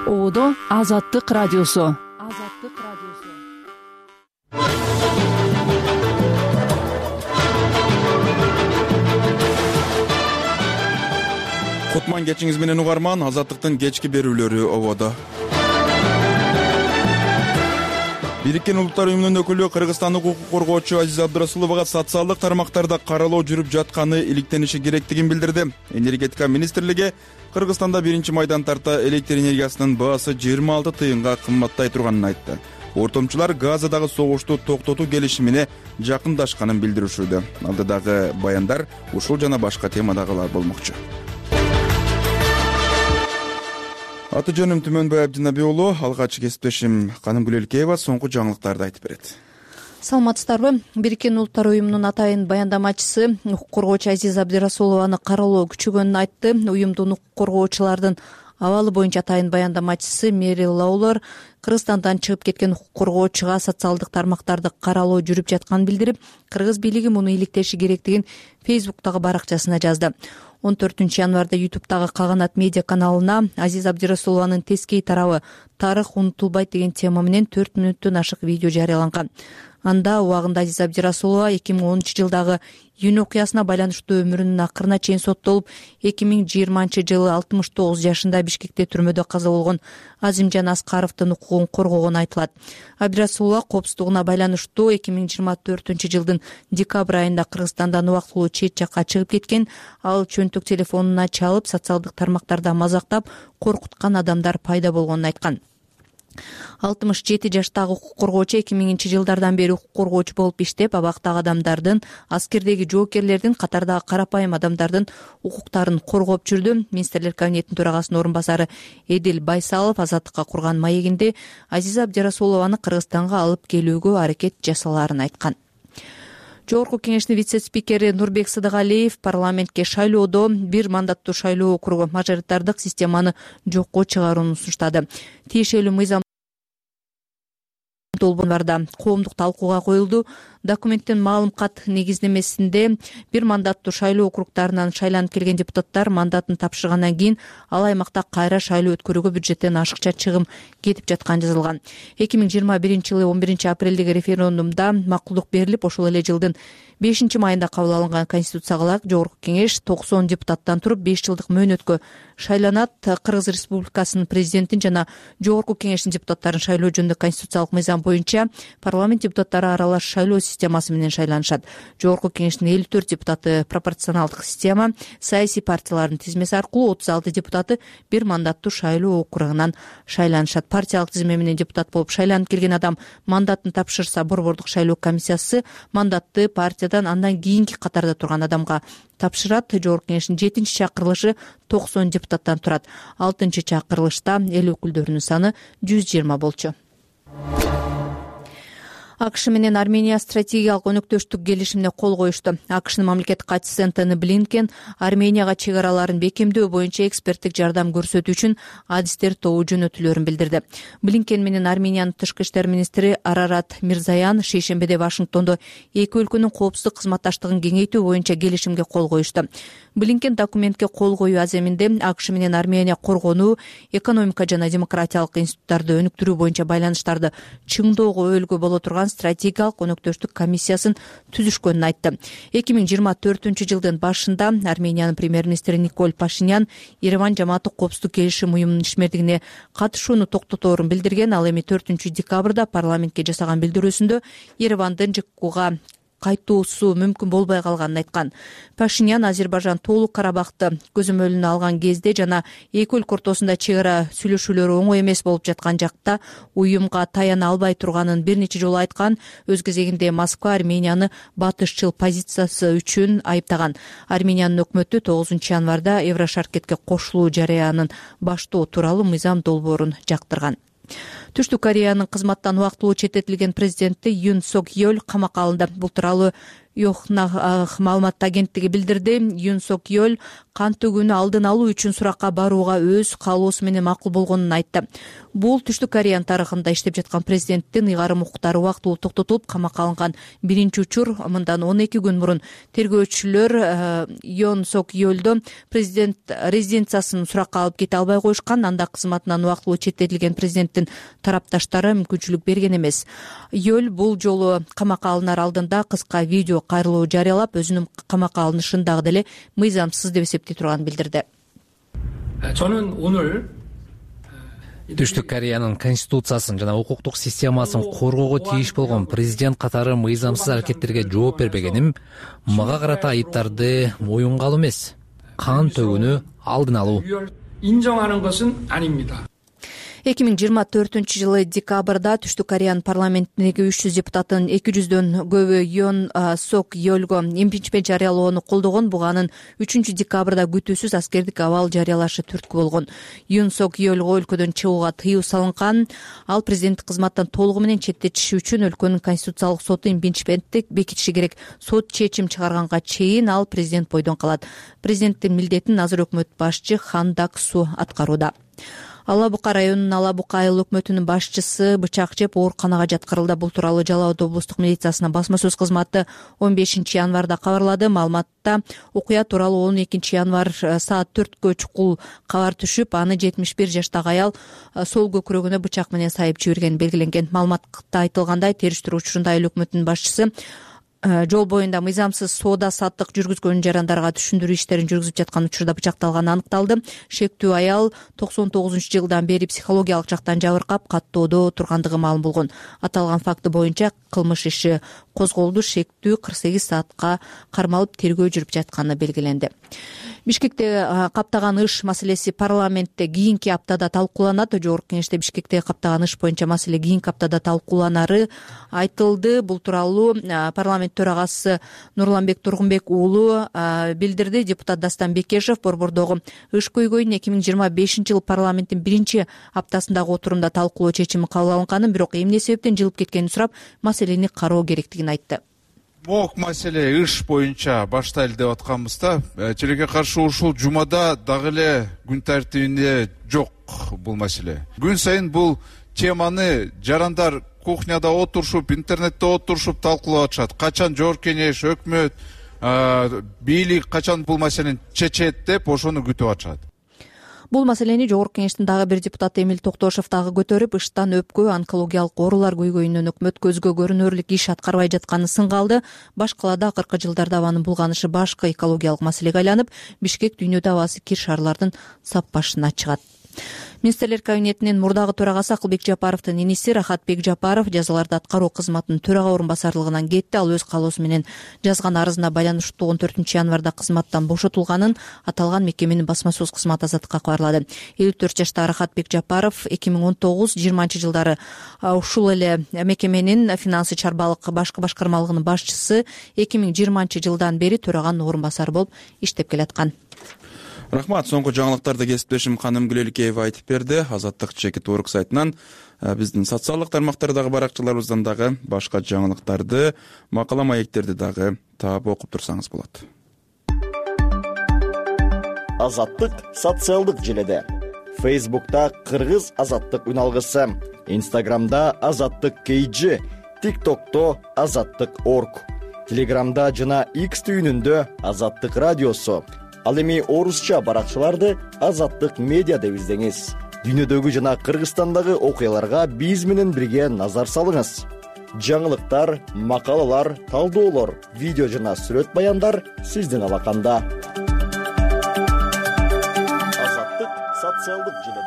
Оодо Азаттык радиосу. Кутман кечиңиз менен угарман. Азаттыктын кечки берүүлөрү ободо. Бириккен Улуттар уюмунун өкүлү Кыргызстандык укук коргоочу Азиза Абдырасуловага социалдык тармактарда каралоо жүрүп жатканы иликтениши керектигин билдирди. Энергетика министрлиги Кыргызстанда 1-майдан тарта электр энергиясынын баасы 26 тыйынга кымбаттай турганын айтты. Ортомчулар Газадагы согушту токтотуу келишимине жакындашканын билдиришүүдө. Алдыдагы баяндар ушул жана башка темадагылар болмокчу. Аты жөнүм Түмөнбай Абдинабий уулу. Алгач кесиптешим Канымгүл Элкеева соңку жаңылыктарды айтып берет. Саламатсыздарбы? Бириккен Улуттар уюмунун атайын баяндамачысы укук коргоочу Азиза Абдырасулованы каралоо күчөгөнүн айтты. Уюмдун укук коргоочулардын абалы боюнча атайын баяндамачысы Мерил Лаулер Кыргызстандан чыгып кеткен укук коргоочуга социалдык тармактарды каралоо жүрүп жатканын билдирип, кыргыз бийлиги муну иликтеши керектигин Фейсбуктагы баракчасына жазды. 14 январда YouTube'дагы Каганат медиа каналына Азиза Абдырасулованын тескей тарабы «Тарых унутулбайт» деген тема менен 4 мүнөттөн ашык видео жарыяланган. Анда убагында Азиза Абдырасулова 2010-жылдагы июнь окуясына байланыштуу өмүрүнүн акырына чейин соттолуп, 2020-жылы 69 жашында Бишкекте түрмөдө каза болгон Азимжан Аскаровдун укугун коргогону айтылат. Абдырасулова коопсуздугуна байланыштуу 2024-жылдын декабрь айында Кыргызстандан убактылуу чет жакка чыгып кеткен. Ал чөнтөк телефонуна чалып, социалдык тармактарда мазактап, коркуткан адамдар пайда болгонун айткан. 67 жаштагы укук коргоочу 2000-жылдардан бери укук коргоочу болуп иштеп, абактагы адамдардын, аскердеги жоокерлердин, катардагы карапайым адамдардын укуктарын коргоп жүрдү. Министрлер кабинетинин төрагасынын орун басары Эдил Байсалов Азаттыкка курган маегинде Азиза Абдырасулованы Кыргызстанга алып келүүгө аракет жасалаарын айткан. Жогорку кеңештин вице-спикери Нурбек Сыдыгалиев парламентке шайлоодо бир мандаттуу шайлоо округу мажоритардык системаны жокко чыгарууну сунуштады. Тиешелүү мыйзам долбоорунда коомдук талкууга коюлду. Документтин маалым кат негиздемесинде бир мандаттуу шайлоо округтарынан шайланып келген депутаттар мандатын тапшыргандан кийин ал аймакта кайра шайлоо өткөрүүгө бюджеттен ашыкча чыгым кетип жатканы жазылган. 2021-жылы 11-апрелдеги референдумда макулдук берилип, ошол эле жылдын 5-майында кабыл алынган конституцияга ылайык жогорку кеңеш 90 депутаттан туруп 5 жылдык мөөнөткө шайланат. Кыргыз Республикасынын президентин жана жогорку кеңештин депутаттарын шайлоо жөнүндө конституциялык мыйзам боюнча парламент депутаттары аралаш шайлоо системасы менен шайланышат. Жогорку кеңештин 54 депутаты пропорционалдык система, саясий партиялардын тизмеси аркылуу, 36 депутаты бир мандаттуу шайлоо округунан шайланышат. Партиялык тизме менен депутат болуп шайланып келген адам мандатын тапшырса, борбордук шайлоо комиссиясы мандатты партиядан андан кийинки катарда турган адамга тапшырат. Жогорку кеңештин 7-чакырылышы 90 депутаттан турат. 6-чакырылышта эл өкүлдөрүнүн саны 120 болчу. АКШ менен Армения стратегиялык өнөктөштүк келишимине кол коюшту. АКШнын мамлекеттик катчысы Энтони Блинкен Арменияга чек араларын бекемдөө боюнча эксперттик жардам көрсөтүү үчүн адистер тобу жөнөтүлөрүн билдирди. Блинкен менен Армениянын тышкы иштер министри Арарат Мирзаян шейшембиде Вашингтондо эки өлкөнүн коопсуздук кызматташтыгын кеңейтүү боюнча келишимге кол коюшту. Блинкен документке кол коюу аземинде АКШ менен Армения коргонуу, экономика жана демократиялык институттарды өнүктүрүү боюнча байланыштарды чыңдоого өбөлгө боло турган стратегиялык өнөктөштүк комиссиясын түзүшкөнүн айтты. 2024-жылдын башында Армениянын премьер-министри Николь Пашинян Ереван жамааттык коопсуздук келишим уюмунун ишмердигине катышууну токтоторун билдирген. Ал эми 4-декабрда парламентке жасаган билдирүүсүндө Еревандын ЖКУга кайтуусу мүмкүн болбой калганын айткан. Пашинян Азербайжан Тоолук Карабахты көзөмөлүнө алган кезде жана эки өлкө ортосунда чек ара сүйлөшүүлөрү оңой эмес болуп жаткан жакта уюмга таяна албай турганын бир нече жолу айткан. Өз кезегинде Москва Арменияны батышчыл позициясы үчүн айыптаган. Армениянын өкмөтү 9 январда Еврошаркетке кошулуу жарыянын баштоо тууралуу мыйзам долбоорун жактырган. Түштүк Кореянын кызматтан убактылуу четтетилген президенти Юн Сок Йоль камакка алынды. Бул тууралуу Йохнах маалымат агенттиги билдирди. Юн Сок Йоль кан төгүүнү алдын алуу үчүн суракка барууга өз каалоосу менен макул болгонун айтты. Бул Түштүк Кореянын тарыхында иштеп жаткан президенттин ыйгарым укуктары убактылуу токтотулуп камакка алынган биринчи учур. Мындан 12 күн мурун тергөөчүлөр Юн Сок Йольду президент резиденциясын суракка алып кете албай коюшкан. Анда кызматынан убактылуу четтетилген президенттин тарапташтары мүмкүнчүлүк берген эмес. Йоль бул жолу камакка алынар алдында кыска видео кайрылуу жарыялап, өзүнүн камакка алынышын дагы деле мыйзамсыз деп эсептей турганын билдирди. Түштүк Кореянын конституциясын жана укуктук системасын коргоого тийиш болгон президент катары мыйзамсыз аракеттерге жооп бербегеним, мага карата айыптарды моюнга алуу эмес, кан төгүүнү алдын алуу. 2024 декабрда Түштүк Кореянын парламентиндеги 300 депутаттын 200дөн көбү Юн Сок Йольго импичмент жарыялоону колдогон. Буга анын 3 декабрда күтүүсүз аскердик абал жарыялашы түрткү болгон. Юн Сок Йольго өлкөдөн чыгууга тыюу салынган. Ал президенттик кызматтан толугу менен четтетиши үчүн өлкөнүн конституциялык соту импичментти бекитиши керек. Сот чечим чыгарганга чейин ал президент бойдон калат. Президенттин милдетин азыр өкмөт башчы Хан Дак-су аткарууда. Ала Бука районунун Ала Бука айыл өкмөтүнүн башчысы бычак жеп ооруканага жаткырылды. Бул тууралуу Жалал Абад облустук милициясынын басма сөз кызматы 15 январда кабарлады. Маалыматта окуя тууралуу 12 январ саат 4кө чукул кабар түшүп, аны 71 жаштагы аял сол көкүрөгүнө бычак менен сайып жиберген белгиленген. Маалыматта айтылгандай, териштирүү учурунда айыл өкмөтүнүн башчысы жол боюнда мыйзамсыз соода саттык жүргүзгөн жарандарга түшүндүрүү иштерин жүргүзүп жаткан учурда бычакталганы аныкталды. Шектүү аял 99-жылдан бери психологиялык жактан жабыркап, каттоодо тургандыгы маалым болгон. Аталган факты боюнча кылмыш иши козголду. Шектүү 48 саатка кармалып тергөө жүрүп жатканы белгиленди. Бишкекте каптаган ыш маселеси парламентте кийинки аптада талкууланат. Жогорку кеңеште Бишкекте каптаган ыш боюнча маселе кийинки аптада талкууланары айтылды. Бул тууралуу парламент төрагасы Нурланбек Тургунбек уулу билдирди. Депутат Дастан Бекешев борбордогу ыш көйгөйүн 2025 жыл парламенттин биринчи аптасындагы отурумда талкуулоо чечими кабыл алынганын, бирок эмне себептен жылып кеткенин сурап, маселени кароо керектигин айтты. Мок маселе ыш боюнча баштайлы деп атканбызда, тилекке каршы ушул жумада дагы эле күн тартибинде жок бул маселе. Күн сайын бул теманы жарандар кухняда отурушуп, интернетте отурушуп талкуулап атышат. Качан жогорку кеңеш, өкмөт, бийлик качан бул маселени чечет деп ошону күтүп атышат. Бул маселени жогорку кеңештин дагы бир депутаты Эмил Токтошев дагы көтөрүп, ыштан өпкө, онкологиялык оорулар көйгөйүнөн өкмөт көзгө көрүнөрлүк иш аткарбай жатканын сынга алды. Баш калаада акыркы жылдарда абанын булганышы башкы экологиялык маселеге айланып, Бишкек дүйнөдө абасы кир шаарлардын сап башына чыгат. Министрлер кабинетинин мурдагы төрагасы Акылбек Жапаровдун иниси Рахатбек Жапаров жазаларды аткаруу кызматынын төрага орун басарлыгынан кетти. Ал өз каалоосу менен жазган арызына байланыштуу 14 январда кызматтан бошотулганын аталган мекеменин басма сөз кызматы Азаттыкка кабарлады. 54 жаштагы Рахатбек Жапаров 2019-20 жылдары ушул эле мекеменин финансы чарбалык башкы башкармалыгынын башчысы, 2020 жылдан бери төраганын орун басары болуп иштеп келаткан. Рахмат. Соңку жаңылыктарды кесиптешим Каным Гүлеликеева айтып берди. Азаттык чекит орг сайтынан биздин социалдык тармактардагы баракчаларыбыздан дагы башка жаңылыктарды, макала маектерди дагы таап окуп турсаңыз болот. Азаттык социалдык желеде. Facebook'ta Кыргыз азаттык үналгысы, Instagram'da Азаттык KG, TikTok'ta Азаттык org, Telegram'da жана X түйүнүндө Азаттык радиосу. Ал эми орусча баракчаларды Азаттык медиа деп издеңиз. Дүйнөдөгү жана Кыргызстандагы окуяларга биз менен бирге назар салыңыз. Жаңылыктар, макалалар, талдоолор, видео жана сүрөт баяндар сиздин алаканда. Азаттык социалдык желеде.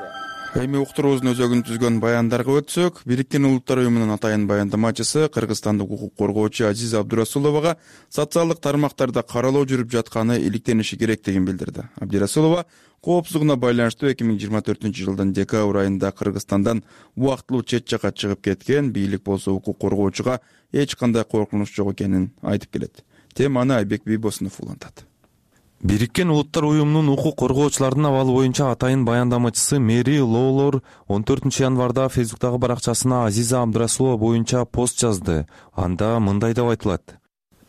Эми уктуруубуздун өзөгүн түзгөн баяндарга өтсөк, Бириккен Улуттар уюмунун атайын баяндамачысы кыргызстандык укук коргоочу Азиза Абдурасуловага социалдык тармактарда каралоо жүрүп жатканы иликтениши керектигин билдирди. Абдурасулова коопсуздугуна байланыштуу 2024 жылдын декабрь айында Кыргызстандан убактылуу чет жакка чыгып кеткен, бийлик болсо укук коргоочуга эч кандай коркунуч жок экенин айтып келет. Теманы Айбек Бийбосунов улантат. Бириккен Улуттар уюмунун укук коргоочулардын абалы боюнча атайын баяндамачысы Мэри Лоулор 14 январда Facebook'тагы баракчасына Азиза Абдурасулова боюнча пост жазды. Анда мындай деп айтылат: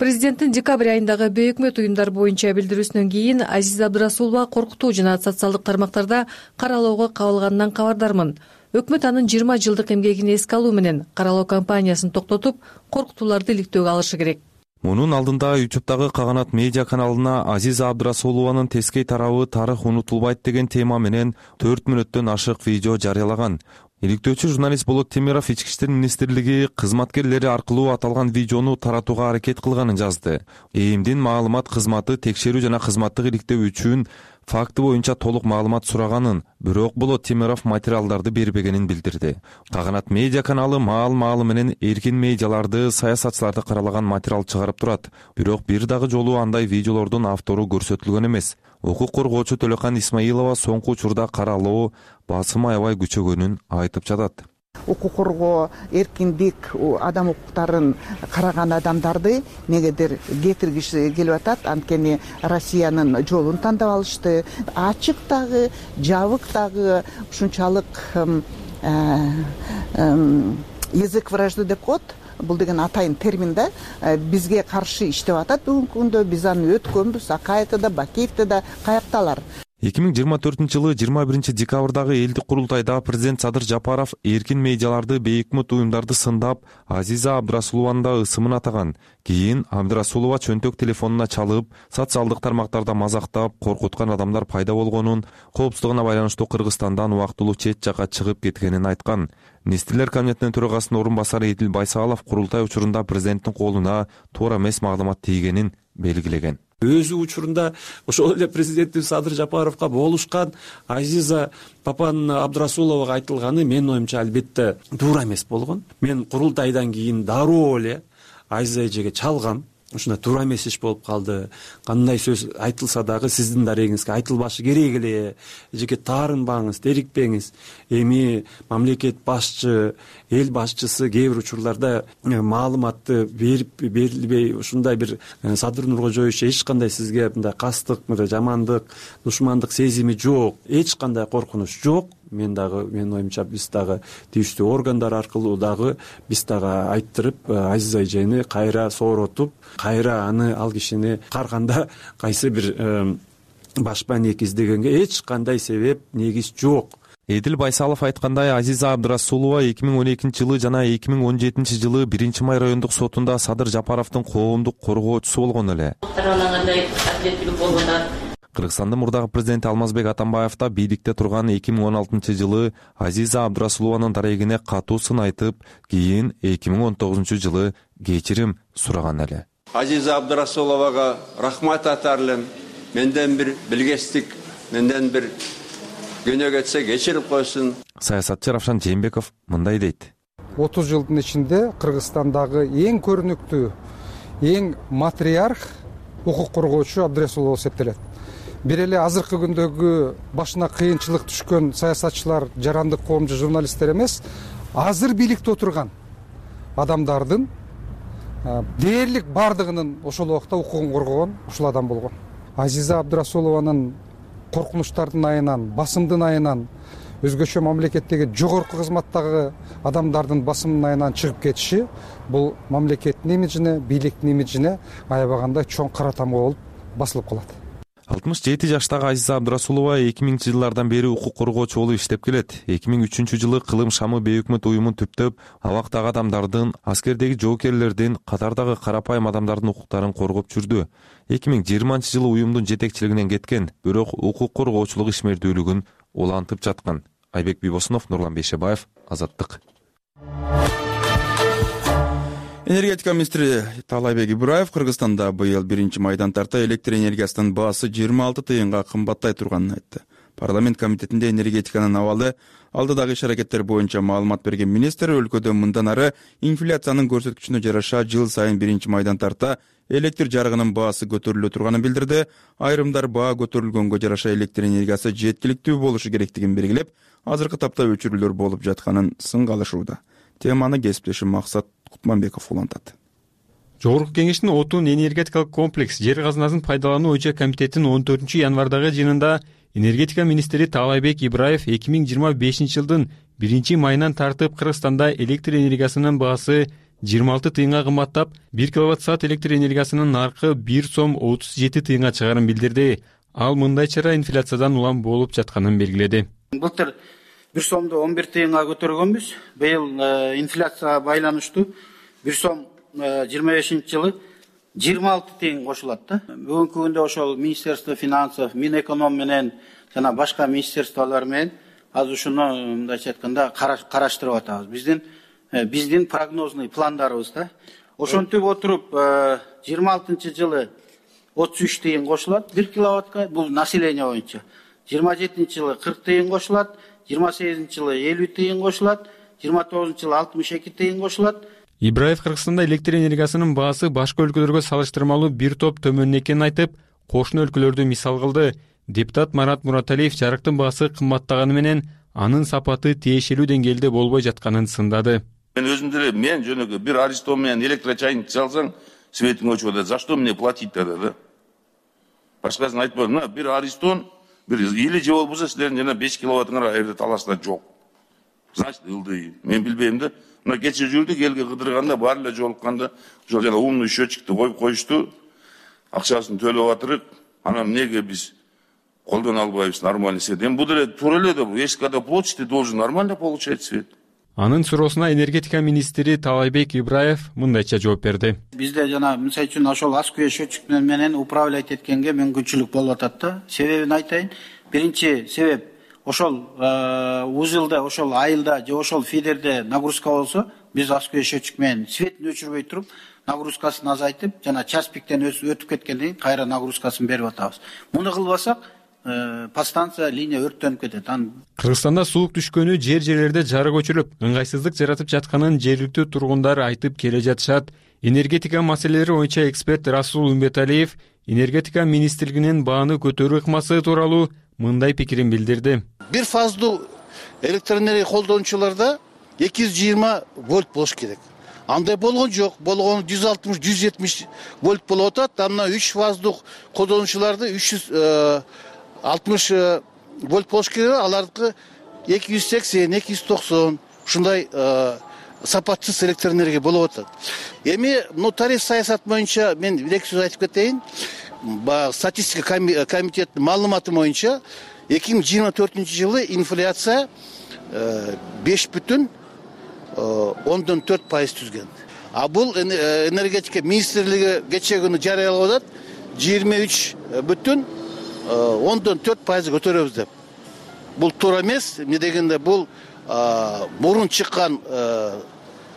Президенттин декабрь айындагы бейөкмөт уюмдар боюнча билдирүүсүнөн кийин Азиза Абдрасулова коркутуу жана социалдык тармактарда каралоого кабылганынан кабардармын. Өкмөт анын 20 жылдык эмгегин эске алуу менен каралоо кампаниясын токтотуп, коркутууларды иликтөөгө алышы керек. Мунун алдында YouTube'дагы Каганат медиа каналына Азиза Абдрасулованын тескей тарабы тарых унутулбайт деген тема менен 4 мүнөттөн ашык видео жарыялаган. Иликтөөчү журналист Болот Темиров Ички иштер министрлиги кызматкерлери аркылуу аталган видеону таратууга аракет кылганын жазды. ЭИМдин маалымат кызматы текшерүү жана кызматтык иликтөө үчүн факты боюнча толук маалымат сураганын, бирок Болот Темиров материалдарды бербегенин билдирди. Каганат медиа каналы маал менен эркин медиаларды, саясатчыларды каралаган материал чыгарып турат. Бирок бир дагы жолу андай видеолордун автору көрсөтүлгөн эмес. Укук коргоочу Төлөкан Исмаилова соңку учурда каралоо басым аябай күчөгөнүн айтып жатат. Укук коргоо, эркиндик, адам укуктарын караган адамдарды негедир кетиргиси келип атат. Анткени Россиянын жолун тандап алышты. Ачык дагы, жабык дагы ушунчалык язык вражды деп коет. Бул деген атайын термин да. Бизге каршы иштеп атат бүгүнкү күндө. Биз аны өткөнбүз. Акаевде да, Бакиевде да, каякталар. 2024-жылы 21-декабрдагы элдик курултайда президент Садыр Жапаров эркин медиаларды, бейөкмөт уюмдарды сындап, Азиза Абдрасулованын да ысымын атаган. Кийин Абдрасулова чөнтөк телефонуна чалып, социалдык тармактарда мазактап, коркуткан адамдар пайда болгонун, коопсуздугуна байланыштуу Кыргызстандан убактылуу чет жакка чыгып кеткенин айткан. Министрлер кабинетинин төрагасынын орун басары Эдил Байсалов курултай учурунда президенттин колуна туура эмес маалымат тийгенин белгилеген. Өзү учурунда ошол эле президенттин Садыр Жапаровго болушкан Азиза Папан Абдрасуловага айтылганы менин оюмча албетте туура эмес болгон. Мен курултайдан кийин дароо эле Азиза эжеге чалгам. Ушундай туура эмес иш болуп калды. Кандай сөз айтылса дагы сиздин дарегиңизге айтылбашы керек эле. Эжеге таарынбаңыз, дерикпеңиз. Эми мамлекет башчы, эл башчысы кээ бир учурларда маалыматты берилбей, ушундай бир Садыр Нуркожоевич эч кандай сизге мындай кастык, жамандык, душмандык сезими жок, эч кандай коркунуч жок. Менин оюмча биз дагы тийиштүү органдар аркылуу дагы биз дагы айттырып, Азиза эжени кайра сооротуп, кайра ал кишини карганда кайсы бир башпа ник издегенге эч кандай себеп, негиз жок. Эдил Байсалов айткандай, Азиза Абдрасулова 2012-жылы жана 2017-жылы 1-май райондук сотунда Садыр Жапаровдун коомдук коргоочусу болгон эле. Кыргызстандын мурдагы президенти Алмазбек Атамбаев да бийликте турган 2016-жылы Азиза Абдрасулованын дарегине катуу сын айтып, кийин 2019-жылы кечирим сураган эле. Азиза Абдрасуловага рахмат айтарлым. Менден бир билгестик, менден бир күнөө кетсе кечирип койсун. Саясатчы Равшан Жээнбеков мындай дейт. 30 жылдын ичинде Кыргызстандагы эң көрүнүктүү, эң матриарх укук коргоочу Абдрасулова эсептелет. Бир эле азыркы күндөгү башына кыйынчылык түшкөн саясатчылар, жарандык коомчу журналисттер эмес, азыр бийликте отурган адамдардын дээрлик бардыгынын ошол убакта укугун коргогон ушул адам болгон. Азиза Абдрасулованын коркунучтардын айынан, басымдын айынан, өзгөчө мамлекеттеги жогорку кызматтагы адамдардын басымдын айынан чыгып кетиши бул мамлекеттин имиджине, бийликтин имиджине аябагандай чоң кара тамга болуп басылып калат. 67 жаштагы Азиза Абдрасулова 2000-жылдардан бери укук коргоочу болуп иштеп келет. 2003-жылы Кылым Шамы бейөкмөт уюмун түптөп, абактагы адамдардын, аскердеги жоокерлердин, катардагы карапайым адамдардын укуктарын коргоп жүрдү. 2020-жылы уюмдун жетекчилигинен кеткен, бирок укук коргоочулук ишмердүүлүгүн улантып жаткан. Айбек Бибосунов, Нурлан Бейшебаев, Азаттык. Энергетика министри Таалайбек Ибраев Кыргызстанда быйыл 1-майдан тарта электр энергиясынын баасы 26 тыйынга кымбаттай турганын айтты. Парламент комитетинде энергетиканын абалы алдыдагы иш-аракеттер боюнча маалымат берген министр өлкөдө мындан ары инфляциянын көрсөткүчүнө жараша жыл сайын 1-майдан тарта электр жарыгынын баасы көтөрүлө турганын билдирди. Айрымдар баа көтөрүлгөнгө жараша электр энергиясы жеткиликтүү болушу керектигин белгилеп, азыркы тапта өчүрүүлөр болуп жатканын сынга алышууда. Теманы кесиптешим Максат Кутманбеков улантат. Жогорку кеңештин отун энергетикалык комплекс жер казынасын пайдалануу боюнча комитеттин 14-январдагы жыйынында энергетика министри Таалайбек Ибраев 2025-жылдын 1-майынан тартып Кыргызстанда электр энергиясынын баасы 26 тыйынга кымбаттап, 1 киловатт-саат электр энергиясынын наркы 1 сом 37 тыйынга чыгарын билдирди. Ал мындай чара инфляциядан улам болуп жатканын белгиледи. Былтыр 1 сомду 11 тыйынга көтөргөнбүз. Быйыл инфляцияга байланыштуу 1 сом 25-жылы 26 тыйын кошулат да. Бүгүнкү күндө ошол Министерство финансов, Минэконом менен жана башка министерстволор менен азыр ушуну мындайча айтканда караштырып атабыз. Биздин прогнозный пландарыбыз да. Ошентип отуруп 26-жылы 33 тыйын кошулат 1 киловаттка, бул население боюнча. 27-жылы 40 тыйын кошулат, 28-жылы 50 тыйын кошулат, 29-жылы 62 тыйын кошулат. Ибраев Кыргызстанда электр энергиясынын баасы башка өлкөлөргө салыштырмалуу бир топ төмөн экенин айтып, кошуна өлкөлөрдү мисал кылды. Депутат Марат Мураталиев жарыктын баасы кымбаттаганы менен анын сапаты тиешелүү деңгээлде болбой жатканын сындады. Мен өзүм деле жөнөкөй бир аристон менен электрочайник чалсаң, светиң өчүп атат. За что мне платить тогда, да? Башкасын айтпадым. Бир аристон, или же болбосо силердин жана 5 киловаттыңар айрда талашта жок. Значит, ылдый. Мен билбейм да. Мына кече жүрдүк, элге кыдырганда, баары эле жолукканда, ошол жана умный счетчикти коюп коюшту. Акчасын төлөп атырык. Анан эмнеге биз колдоно албайбыз нормальный свет? Бул деле туура эле да, если когда платишь, ты должен нормально получать свет. Анын суроосуна энергетика министри Таалайбек Ибраев мындайча жооп берди. Бизде жана мисалы үчүн ошол аскүе счетчик менен управлять эткенге мүмкүнчүлүк болуп атат да. Себебин айтайын. Биринчи себеп ошол узылда, ошол айылда же ошол фидерде нагрузка болсо, биз аскүе счетчик менен светин өчүрбөй туруп, нагрузкасын азайтып, жана час пиктен өтүп кеткенден кийин кайра нагрузкасын берип атабыз. Муну кылбасак, подстанция, линия өрттөнүп кетет. Кыргызстанда суук түшкөнү жерлерде жарык өчүрүп, ыңгайсыздык жаратып жатканын жергиликтүү тургундар айтып келе жатышат. Энергетика маселелери боюнча эксперт Расул Умбеталиев энергетика министрлигинин бааны көтөрүү ыкмасы тууралуу мындай пикирин билдирди. Бир фаздуу электроэнергия колдонуучуларда 220 вольт болуш керек. Андай болгон жок. Болгону 160-170 вольт болуп атат. Мына 3 фаздуу колдонуучуларды 360 вольт болуш керек. Алардыкы 280-290 ушундай сапатсыз электроэнергия болуп атат. Эми тариф саясат боюнча мен бир эки сөз айтып кетейин. Статистика комитетинин маалыматы боюнча 2024-жылы инфляция 5,4% түзгөн. А бул энергетика министрлиги кече күнү жарыялап атат 23,4% көтөрөбүз деп. Бул туура эмес. Эмне дегенде бул мурун чыккан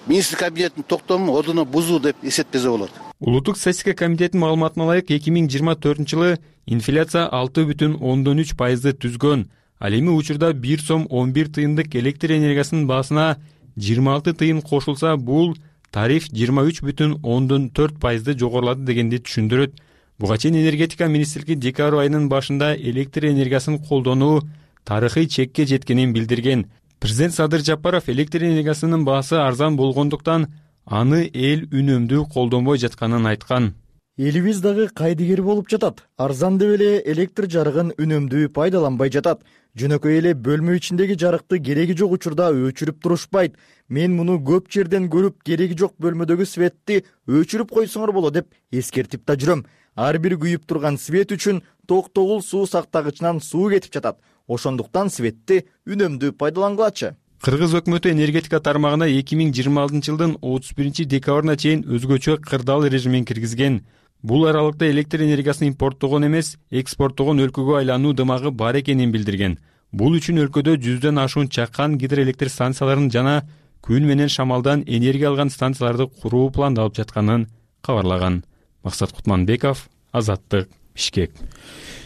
министр кабинетинин токтому ордуна бузуу деп эсептесе болот. Улуттук статистика комитетинин маалыматына ылайык 2024-жылы инфляция 6,3% түзгөн. Ал эми учурда 1 сом 11 тыйындык электр энергиясынын баасына 26 тыйын кошулса, бул тариф 23,4% жогорулады дегенди түшүндүрөт. Буга чейин энергетика министрлиги декабрь айынын башында электр энергиясын колдонуу тарыхый чекке жеткенин билдирген. Президент Садыр Жапаров электр энергиясынын баасы арзан болгондуктан аны эл үнөмдүү колдонбой жатканын айткан. Элибиз дагы кайдыгер болуп жатат. Арзан деп эле электр жарыгын үнөмдүү пайдаланбай жатат. Жөнөкөй эле бөлмө ичиндеги жарыкты кереги жок учурда өчүрүп турушпайт. Мен муну көп жерден көрүп, кереги жок бөлмөдөгү светти өчүрүп койсоңор болот деп эскертип да жүрөм. Ар бир күйүп турган свет үчүн токтогул суу сактагычынан суу кетип жатат. Ошондуктан светти үнөмдүү пайдалангылачы. Кыргыз өкмөтү энергетика тармагына 2026-жылдын 31 декабрына чейин өзгөчө кырдаал режимин киргизген. Бул аралыкта электр энергиясын импорттогон эмес, экспорттогон өлкөгө айлануу дымагы бар экенин билдирген. Бул үчүн өлкөдө 100дөн ашуун чакан гидроэлектр станцияларын жана күн менен шамалдан энергия алган станцияларды куруу пландалып жатканын кабарлаган. Максат Кутманбеков, Азаттык, Бишкек.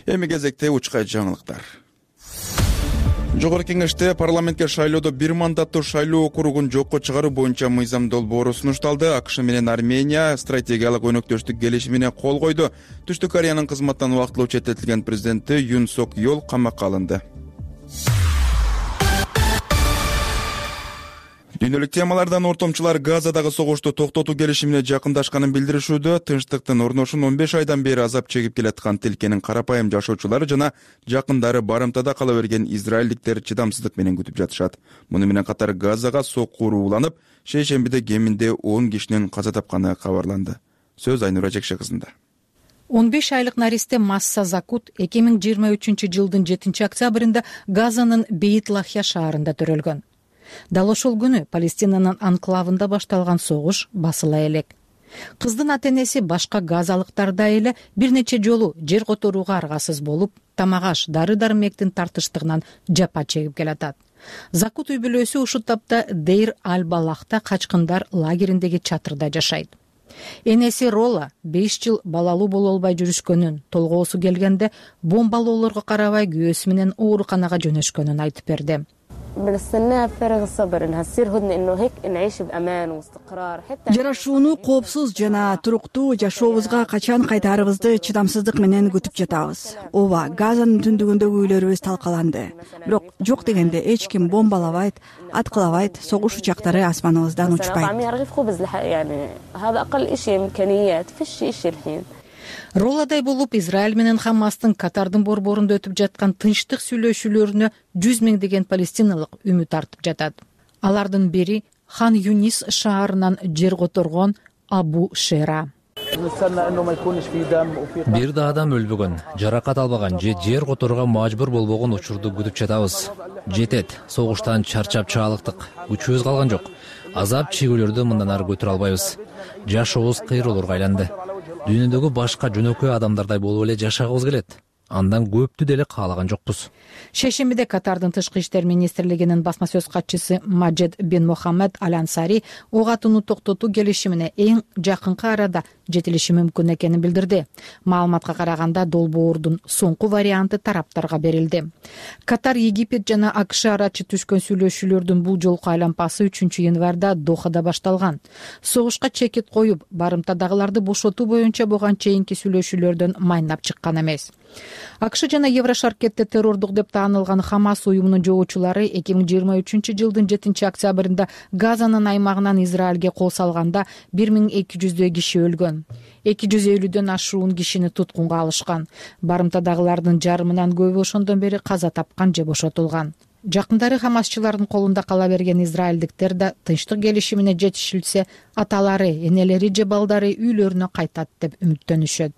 Эми кезекте учкай жаңылыктар. Жогорку кеңеште парламентке шайлоодо бир мандаттуу шайлоо округун жокко чыгаруу боюнча мыйзам долбоору сунушталды. АКШ менен Армения стратегиялык өнөктөштүк келишимине кол койду. Түштүк Кореянын кызматтан убактылуу четтетилген президенти Юн Сок Йол камакка алынды. Дүйнөлүк темалардан ортомчулар Газадагы согушту токтотуу келишимине жакындашканын билдиришүүдө. Тынчтыктын орношун 15 айдан бери азап чегип келаткан тилкенин карапайым жашоочулары жана жакындары барымтада кала берген израилдиктер чыдамсыздык менен күтүп жатышат. Муну менен катар Газага сокку урууланып, шейшембиде кеминде 10 кишинин каза тапканы кабарланды. Сөз Айнура Жекше кызында. 15 айлык наристе Масса Закут 2023-жылдын 7-октябрында Газанын Бейт Лахья шаарында төрөлгөн. Дал ошол күнү Палестинанын анклавында башталган согуш басыла элек. Кыздын ата-энеси башка газалыктардай эле бир нече жолу жер которууга аргасыз болуп, тамак-аш, дары-дармектин тартыштыгынан жапа чегип келатат. Закут үй бүлөсү ушул тапта Дейр аль-Балахта качкындар лагериндеги чатырда жашайт. Энеси Рола 5 жыл балалуу боло албай жүрүшкөнүн, толгоосу келгенде бомбалоолорго карабай күйөөсү менен ооруканага жөнөшкөнүн айтып берди. Жарашууну коопсуз жана туруктуу жашообузга качан кайтаарыбызды чыдамсыздык менен күтүп жатабыз. Ооба, Газанын түндүгүндөгү үйлөрүбүз талкаланды. Бирок жок дегенде эч ким бомбалабайт, аткылабайт, согуш учактары асманыбыздан учпайт. Роладай болуп Израиль менен Хамастын Катардын борборунда өтүп жаткан тынчтык сүйлөшүүлөрүнө 100 миңдеген палестиналык үмүт артып жатат. Алардын бири Хан Юнис шаарынан жер которгон Абу Шера. Бир да адам өлбөгөн, жаракат албаган же жер которууга мажбур болбогон учурду күтүп жатабыз. Жетет, согуштан чарчап чаалыктык, күчүбүз калган жок. Азап чегүүлөрдү мындан ары көтөрө албайбыз. Жашообуз кыйроолорго айланды. Дүйнөдөгү башка жөнөкөй адамдардай болуп эле жашагыбыз келет. Андан көптү деле каалаган жокпуз. Шейшембиде Катардын тышкы иштер министрлигинин басма сөз катчысы Маджед бен Мохаммед Аль-Ансари ок атууну токтотуу келишимине эң жакынкы арада жетилиши мүмкүн экенин билдирди. Маалыматка караганда долбоордун соңку варианты тараптарга берилди. Катар, Египет жана АКШ арачы түшкөн сүйлөшүүлөрдүн бул жолку айланпасы 3-январда Дохада башталган. Согушка чекит коюп, барымтадагыларды бошотуу боюнча буга чейинки сүйлөшүүлөрдөн майнап чыккан эмес. АКШ жана Еврошаркетте террордук деп таанылган Хамас уюмунун жоочулары 2023-жылдын 7-октябрында Газанын аймагынан Израилге кол салганда 1200 киши өлгөн. 250дөн ашуун кишини туткунга алышкан. Барымтадагылардын жарымынан көбү ошондон бери каза тапкан же бошотулган. Жакындары Хамасчылардын колунда кала берген израилдиктер да тынчтык келишимине жетишилсе, аталары, энелери же балдары үйлөрүнө кайтат деп үмүттөнүшөт.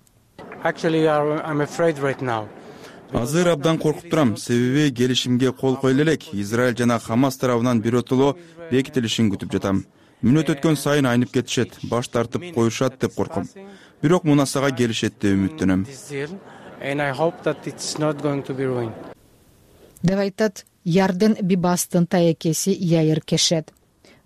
Азыр абдан коркуп турам, себеби келишимге кол коюла элек. Израиль жана Хамас тарабынан биротоло бекитилишин күтүп жатам. Мүнөт өткөн сайын айнып кетишет, баш тартып коюшат деп корком. Бирок мунасага келишет деп үмүттөнөм. Деп айтат Ярден Бибастын таекеси Яир Кешет.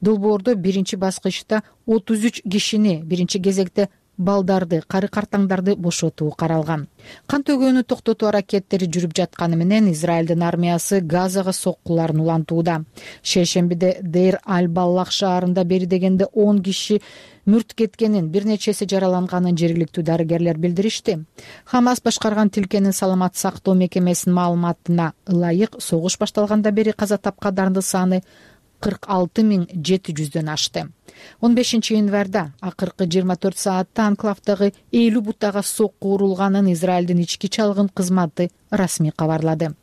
Долбоордо биринчи баскычта 33 кишини, биринчи кезекте балдарды, кары картаңдарды бошотуу каралган. Кан төгөөнү токтотуу аракеттери жүрүп жатканы менен Израилдин армиясы Газага соккуларын улантууда. Шейшембиде Дейр аль-Баллах шаарында бери дегенде 10 киши мүрт кеткенин, бир нечеси жараланганын жергиликтүү дарыгерлер билдиришти. Хамас башкарган тилкенин саламат сактоо мекемесинин маалыматына ылайык согуш башталганда бери каза тапкандардын саны 46.700дөн ашты. 15-январда акыркы 24 саатта анклавдагы 50 бутага сокку урулганын Израилдин ички чалгын кызматы расмий кабарлады.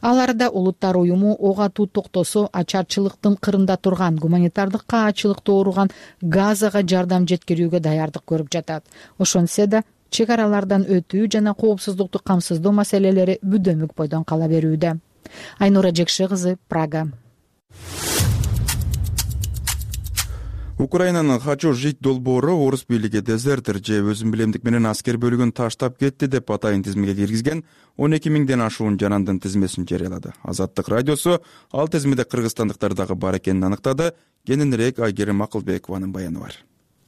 Ал арада Улуттар уюму ок атуу токтосо ачарчылыктын кырында турган, гуманитардык каачылыкта ооруган Газага жардам жеткирүүгө даярдык көрүп жатат. Ошонсе да чек аралардан өтүү жана коопсуздукту камсыздоо маселелери бүдөмүк бойдон кала берүүдө. Айнура Жекше кызы, Прага. Украинанын Хочу жить долбоору орус бийлиги дезертер же өзүн билемдик менен аскер бөлүгүн таштап кетти деп атайын тизмеге киргизген 12 миңден ашуун жанандын тизмесин жарыялады. Азаттык радиосу ал тизмеде кыргызстандыктар дагы бар экенин аныктады. Кененирээк Айгерим Акылбекованын баяны бар.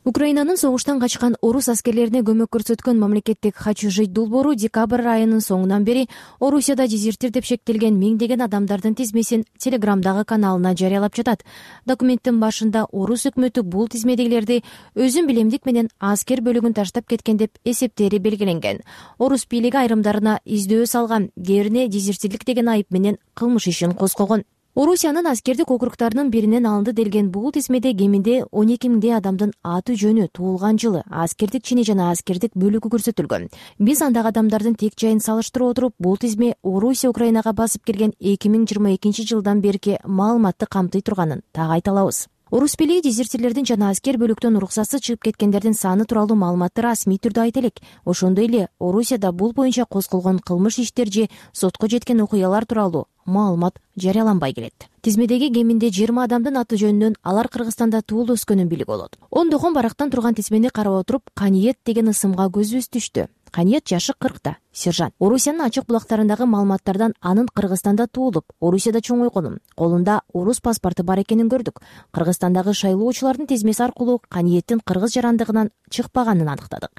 Украинанын согуштан качкан орус аскерлерине көмөк көрсөткөн мамлекеттик Хочу жить долбоору декабрь айынын соңунан бери Орусияда дезертир деп шектелген миңдеген адамдардын тизмесин Телеграмдагы каналына жарыялап жатат. Документтин башында орус өкмөтү бул тизмедегилерди өзүн билемдик менен аскер бөлүгүн таштап кеткен деп эсептери белгиленген. Орус бийлиги айрымдарына издөө салган, кээ бирине дезертирлик деген айып менен кылмыш ишин козгогон. Орусиянын аскердик округдарынын биринен алынды делген бул тизмеде кеминде 12 миңдей адамдын аты жөнү, туулган жылы, аскердик чини жана аскердик бөлүгү көрсөтүлгөн. Биз андагы адамдардын тек жайын салыштырып отуруп, бул тизме Орусия Украинага басып кирген 2022 жылдан берки маалыматты камтый турганын так айта алабыз. Орус бийлиги дезертирлердин жана аскер бөлүктөн уруксатсыз чыгып кеткендердин саны тууралуу маалыматты расмий түрдө айта элек. Ошондой эле Орусияда бул боюнча козголгон кылмыш иштер же сотко жеткен окуялар тууралуу маалымат жарыяланбай келет. Тизмедеги кеминде 20 адамдын аты жөнүнөн алар Кыргызстанда туулуп өскөнүн билип болот. Ондогон барактан турган тизмени карап отуруп, Каниет деген ысымга көзүбүз түштү. Каниет жашы 40та, сержант. Орусиянын ачык булактарындагы маалыматтардан анын Кыргызстанда туулуп, Орусияда чоңойгонун, колунда орус паспорту бар экенин көрдүк. Кыргызстандагы шайлоочулардын тизмеси аркылуу Каниеттин кыргыз жарандыгынан чыкпаганын аныктадык.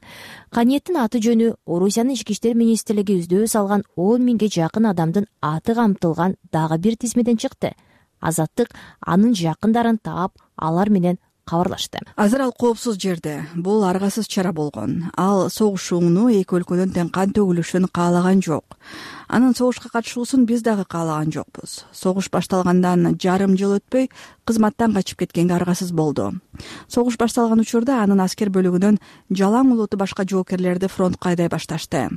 Каниеттин аты жөнү Орусиянын ички иштер министрлиги издөө салган 10 миңге жакын адамдын аты камтылган дагы бир тизмеден чыкты. Азаттык анын жакындарын таап, алар менен кабарлашты. Азыр ал коопсуз жерде. Бул аргасыз чара болгон. Ал согуш уңуну эки өлкөнүн тең кан төгүлүшүн каалаган жок. Анын согушка катышуусун биз дагы каалаган жокпуз. Согуш башталгандан жарым жыл өтпөй кызматтан качып кеткенге аргасыз болду. Согуш башталган учурда анын аскер бөлүгүнөн жалаң улуту башка жоокерлерди фронтко айдай башташты.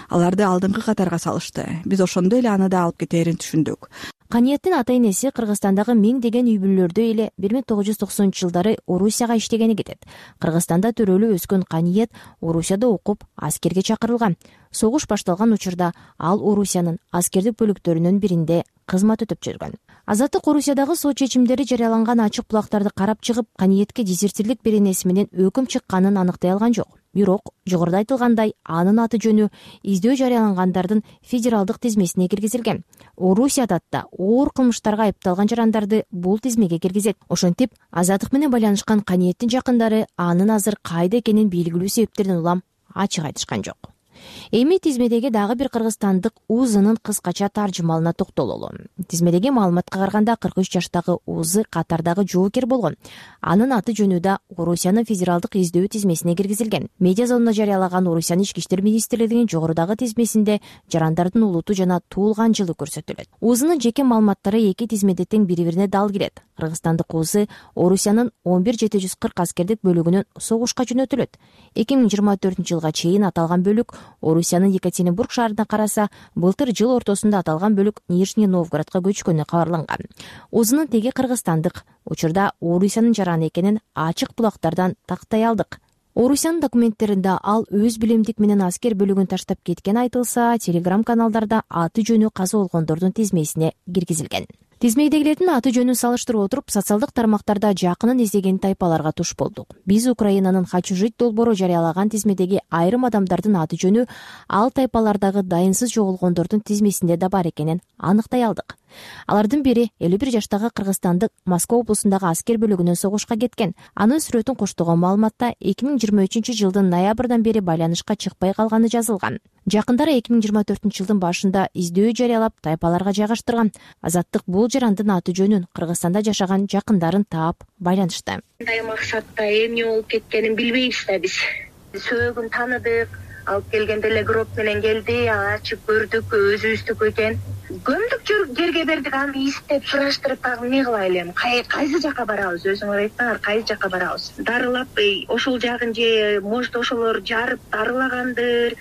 Аларды алдыңкы катарга салышты. Биз ошондой эле аны да алып кетээрин түшүндүк. Каниеттин ата-энеси Кыргызстандагы миңдеген үй бүлөлөрдө эле 1990-жылдары Орусияга иштегени кетет. Кыргызстанда төрөлүп өскөн Каниет Орусияда окуп, аскерге чакырылган. Согуш башталган учурда ал Орусиянын аскердик бөлүктөрүнүн биринде кызмат өтөп жүргөн. Азаттык Орусиядагы сот чечимдери жарыяланган ачык булактарды карап чыгып, Каниетке дезертирлик беренеси менен өкүм чыкканын аныктай алган жок. Бирок, жогоруда айтылгандай, анын аты жөнү издөө жарыялангандардын федералдык тизмесине киргизилген. Орусияда да оор кылмыштарга айыпталган жарандарды бул тизмеге киргизет. Ошентип, Азаттык менен байланышкан Каниеттин жакындары анын азыр кайда экенин белгилүү себептерден улам ачык айтышкан жок. Эми тизмедеги дагы бир кыргызстандык Узынын кыскача таржымалына токтололу. Тизмедеги маалыматка караганда 43 жаштагы Узы катардагы жоокер болгон. Анын аты жөнү да Орусиянын федералдык издөө тизмесине киргизилген. Медиа зонуна жарыялаган Орусиянын ички иштер министрлигинин жогорудагы тизмесинде жарандардын улуту жана туулган жылы көрсөтүлөт. Узынын жеке маалыматтары эки тизмеде тең бири-бирине дал келет. Кыргызстандык Узы Орусиянын 11740 аскердик бөлүгүнөн согушка жөнөтүлөт. 2024-жылга чейин аталган бөлүк Орусиянын Екатеринбург шаарына караса, былтыр жыл ортосунда аталган бөлүк Нижний Новгородко көчкөнү кабарланган. Узынын теги кыргызстандык. Учурда Орусиянын жараны экенин ачык булактардан тактай алдык. Орусиянын документтеринде ал өз билимдик менен аскер бөлүгүн таштап кеткен айтылса, телеграм-каналдарда аты жөнү каза болгондордун тизмесине киргизилген. Тизмедегилердин аты жөнүн салыштырып отуруп, социалдык тармактарда жакынын издеген тайпаларга туш болдук. Биз Украинанын Хочу жить долбоору жарыялаган тизмедеги айрым адамдардын аты жөнү ал тайпалардагы дайынсыз жоголгондордун тизмесинде да бар экенин аныктай алдык. Алардын бири 51 жаштагы кыргызстандык Москва облусундагы аскер бөлүгүнөн согушка кеткен. Анын сүрөтүн коштогон маалыматта 2023-жылдын ноябрдан бери байланышка чыкпай калганы жазылган. Жакындары 2024-жылдын башында издөө жарыялап тайпаларга жайгаштырган. Азаттык бул жарандын аты жөнүн Кыргызстанда жашаган жакындарын таап байланышты. Кандай максатта эмне болуп кеткенин билбейбиз да биз. Сөөгүн тааныдык, алып келгенде эле гроб менен келди, ачып көрдүк, өзүбүздүкү экен. Көмдүк жерге бердик, аны издеп сураштырып дагы эмне кылайлы эми? Кайсы жака барабыз? Өзүңөр айтсаңар, кайсы жака барабыз? Дарылап, ошол жагын же может ошолор жарып дарылагандыр.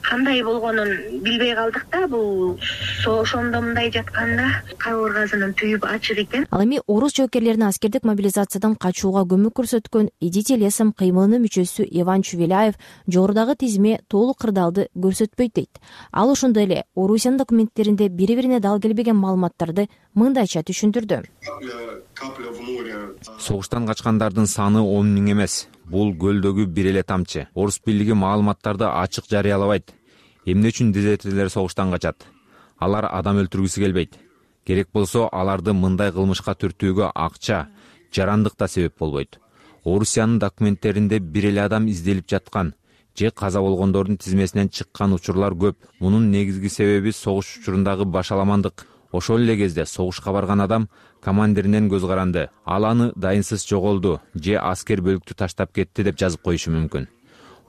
Кандай болгонун билбей калдык да, бул ошондо мындай жатканда кабыргасынын түйүп ачык экен. Ал эми орус жоокерлерин аскердик мобилизациядан качууга көмөк көрсөткөн Идите лесом кыймылынын мүчөсү Иван Чувеляев жогорудагы тизме толук кырдаалды көрсөтпөйт дейт. Ал ошондой эле Орусиянын документтеринде бири-бирине дал келбеген маалыматтарды мындайча түшүндүрдү. Согуштан качкандардын саны 10 миң эмес. Бул көлдөгү бир эле тамчы. Орус бийлиги маалыматтарды ачык жарыялабайт. Эмне үчүн дезертирлер согуштан качат? Алар адам өлтүргүсү келбейт. Керек болсо аларды мындай кылмышка түртүүгө акча, жарандык да себеп болбойт. Орусиянын документтеринде бир эле адам изделип жаткан же каза болгондордун тизмесинен чыккан учурлар көп. Мунун негизги себеби согуш учурундагы башаламандык. Ошол эле кезде согушка барган адам командиринен көз каранды. Ал аны дайынсыз жоголду же аскер бөлүктү таштап кетти деп жазып коюшу мүмкүн.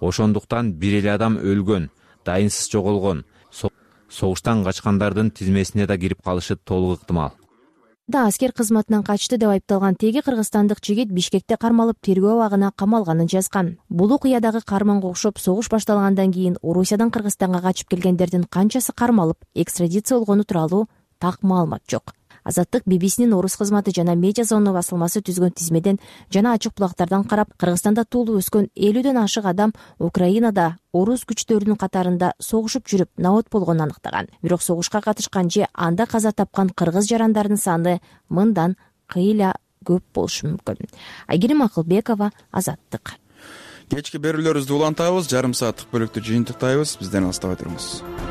Ошондуктан бир эле адам өлгөн, дайынсыз жоголгон. Согуштан качкандардын тизмесине да кирип калышы толук ыктымал. да аскер кызматынан качты деп айыпталган теги кыргызстандык жигит Бишкекте кармалып тергөө абагына камалганын жазган. Бул окуядагы карманга окшоп согуш башталгандан кийин Орусиядан Кыргызстанга качып келгендердин канчасы кармалып экстрадиция болгону тууралуу так маалымат жок. Азаттык BBC-нин орус кызматы жана Медиа Зона басылмасы түзгөн тизмеден жана ачык булактардан карап, Кыргызстанда туулуп өскөн 50дөн ашык адам Украинада орус күчтөрүнүн катарында согушуп жүрүп набат болгонун аныктаган. Бирок согушка катышкан же анда каза тапкан кыргыз жарандардын саны мындан кыйла көп болушу мүмкүн. Айгерим Акылбекова, Азаттык. Кечки берүүлөрүбүздү улантабыз, жарым сааттык бөлүктү жыйынтыктайбыз. Бизден алыстабай туруңуз.